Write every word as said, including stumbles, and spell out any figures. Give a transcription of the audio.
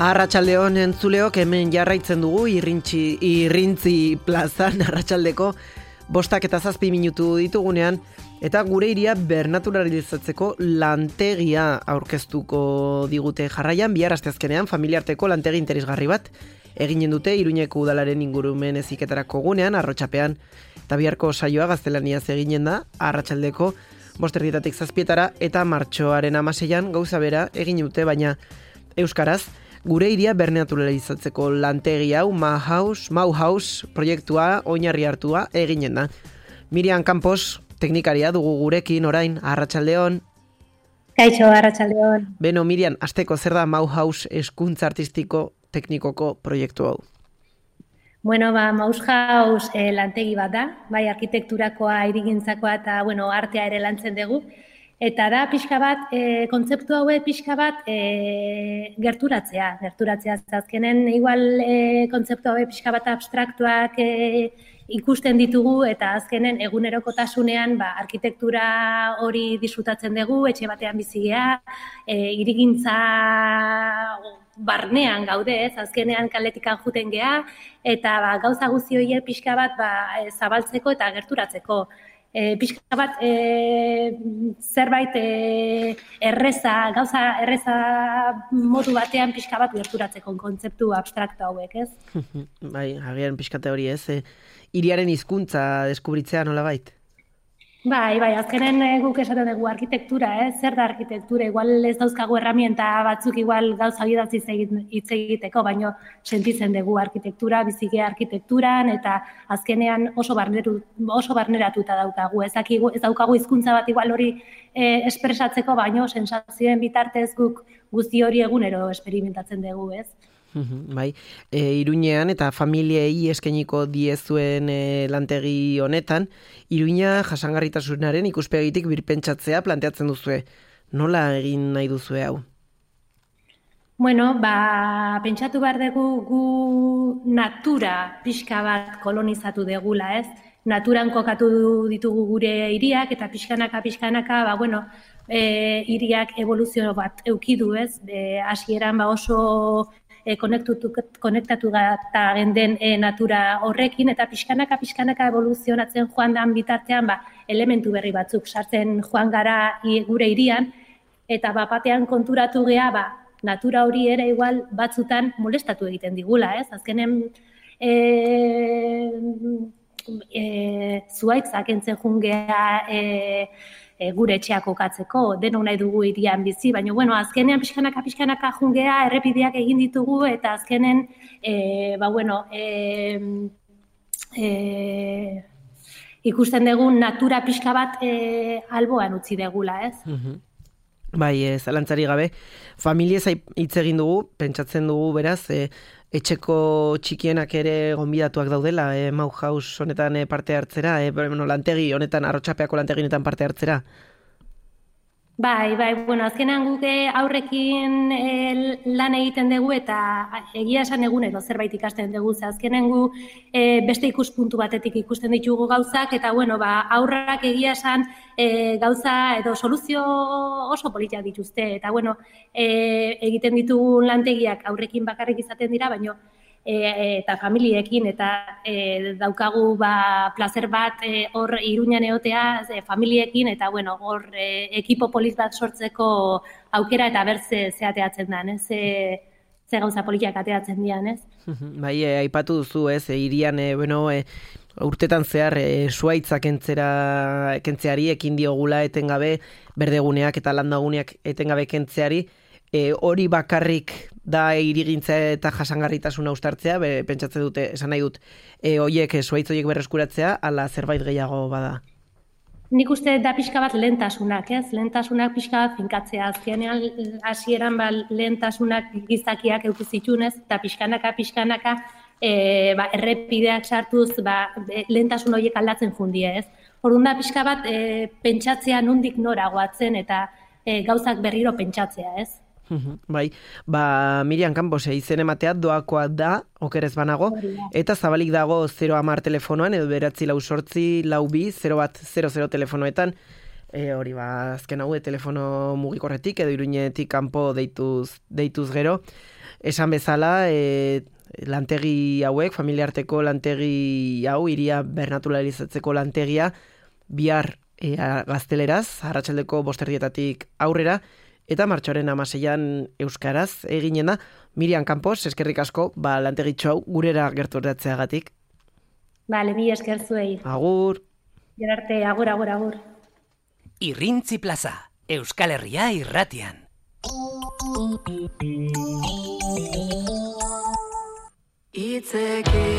Arratsaldeon entzuleok, hemen jarraitzen dugu irrintzi, irrintzi plazan arratsaldeko bostak eta zazpi minutu ditugunean, eta gure hiria bernaturalizatzeko lantegia aurkeztuko digute jarraian. Bihar asteazkenean familiarteko lantegi interesgarri bat eginen dute Iruñeko udalaren ingurumen heziketarako gunean, Arrotxapean, eta biharko saioa gaztelaniaz eginen da arratsaldeko bosterdietatik zazpietara, eta martxoaren hamaseian gauza bera egin dute, baina euskaraz. Gure hiria bernaturalizatzeko lantegi hau Mauhaus, Mauhaus proiektua oinarri hartua eginen da. Miriam Campos, teknikaria dugu gurekin orain, arratsaldeon. Kaixo, arratsaldeon. Beno, Miriam, asteko zer da Mauhaus hezkuntza artistiko teknikoko proiektu hau? Bueno, ba, Mauhaus eh, lantegi bat da, bai arkitekturakoa, hirigintzakoa eta bueno, artea ere lantzen dugu. Eta da pixka bat, e, kontzeptu hauek pixka bat e, gerturatzea. Gerturatzea azkenen, igual e, kontzeptu hauek pixka bat abstraktuak e, ikusten ditugu, eta azkenen egunerokotasunean ba, arkitektura hori disfrutatzen dugu, etxe batean bizigea, e, hirigintza barnean gaude, ez, azkenean kaletikan juten gea, eta ba, gauza guzti horiek pixka bat ba, zabaltzeko eta gerturatzeko. E, pixka bat e, zerbait e, erreza, gauza erreza modu batean pixka bat gerturatzeko kontzeptu abstraktu hauek, ez? Bai, agian pixkate hori ez, e, hiriaren hizkuntza deskubritzea nolabait? Bai, bai, azkenen guk esaten dugu arkitektura, eh? Zer da arkitektura? Igual ez dauzkagu herramienta batzuk igual gauza idatziz hitz egiteko, baino sentitzen dugu arkitektura, bizigea arkitekturan, eta azkenean oso barneru, oso barneratuta daukagu. Ez, dakigu, ez daukagu hizkuntza bat igual hori eh, espresatzeko, baino sensazioen bitartez guk guzti hori egunero experimentatzen dugu, ez? Bai, e, Iruñean eta familiei eskainiko diezuen e, lantegi honetan, Iruña jasangarritasunaren ikuspegitik birpentsatzea planteatzen duzue. Nola egin nahi duzue hau? Bueno, ba, pentsatu behar dugu gu natura pixka bat kolonizatu degula, ez? Naturan kokatu ditugu gure hiriak eta pixkanaka, pixkanaka, ba, bueno, e, hiriak evoluzio bat eukidu, ez? E, hasieran ba oso E, konektatu gata genden e, natura horrekin, eta pixkanaka, pixkanaka evoluzionatzen joan dan bitartean ba, elementu berri batzuk sartzen joan gara i, gure hirian, eta bat batean konturatu gea, ba, natura hori ere igual batzutan molestatu egiten digula, ez? Azkenen e, e, zuaitzak entzen jungea e, E, gure etxeak kokatzeko, denok nahi dugu hirian bizi, baina bueno, azkenean pixkanaka pixkanaka jungea, errepideak egin ditugu, eta azkenen e, ba, bueno, e, e, ikusten dugu natura pixka bat e, alboan utzi degula, ez? Mm-hmm. Bai, ez, zalantzari gabe, familiez hitz egin dugu, pentsatzen dugu beraz, e, etxeko txikienak ere gonbidatuak daudela, e, Mauhaus honetan e, parte hartzera, e, bueno, lantegi honetan, Arrotxapeako lantegi honetan parte hartzera. Bai, bai, bueno, azkenean guke aurrekin e, lan egiten dugu eta egia esan egunero zerbait ikasten dugu, ze azkenean gu e, beste ikuspuntu batetik ikusten ditugu gauzak, eta bueno, ba, aurrak egia esan e, gauza edo soluzio oso politiak dituzte, eta bueno, e, egiten ditugun lantegiak aurrekin bakarrik izaten dira, baino E, eta familiekin, eta e, daukagu ba, plazer bat e, hor Iruñan egotea e, familiekin, eta bueno, hor e, ekipo polit bat sortzeko aukera eta bertze zeateatzen den, ez? Ze, ze gauza politiak ateatzen dian, ez? Bai, e, aipatu duzu, ez, e, hirian, e, bueno, e, urtetan zehar e, suaitzak kentzera, kentzeari ekin diogula etengabe, berdeguneak eta landaguneak etengabe kentzeari, E, hori bakarrik da hirigintza eta jasangarritasuna uztartzea, be, pentsatzen dute, esan nahi dut, e, oiek, zuaitz oiek berreskuratzea, ala zerbait gehiago bada? Nik uste da pixka bat lehentasunak, ez? Lehentasunak pixka bat finkatzea. Azkenean, hasieran ba, lehentasunak gizakiak eukizitxunez, eta pixkanaka, pixkanaka, e, ba, errepideak sartuz, ba, lehentasun horiek aldatzen fundie, ez? Orduan da pixka bat e, pentsatzea nondik nora goatzen, eta e, gauzak berriro pentsatzea, ez? Bai, ba, Miriam Campos, izen ematea doakoa da, okerez banago, eta zabalik dago zero hamar telefonoan, edo beratzi lau sortzi, lau bi, zero bat, zero zero telefonoetan, e, hori ba, azken hau, telefono mugikorretik, edo Iruñetik kanpo deituz, deituz gero, esan bezala, e, lantegi hauek, familiarteko lantegi hau, iria bernaturalizatzeko lantegia, bihar e, gazteleraz, arratsaldeko bosterdietatik aurrera, eta martxoaren amaseian euskaraz eginen da. Miriam Campos, eskerrik asko, ba, lantegitxo hau gurera gerturatzeagatik. Bale, mi esker zuei. Agur. Gerarte, agur, agur, agur. Irrintzi plaza, Euskal Herria irratian. Itzeki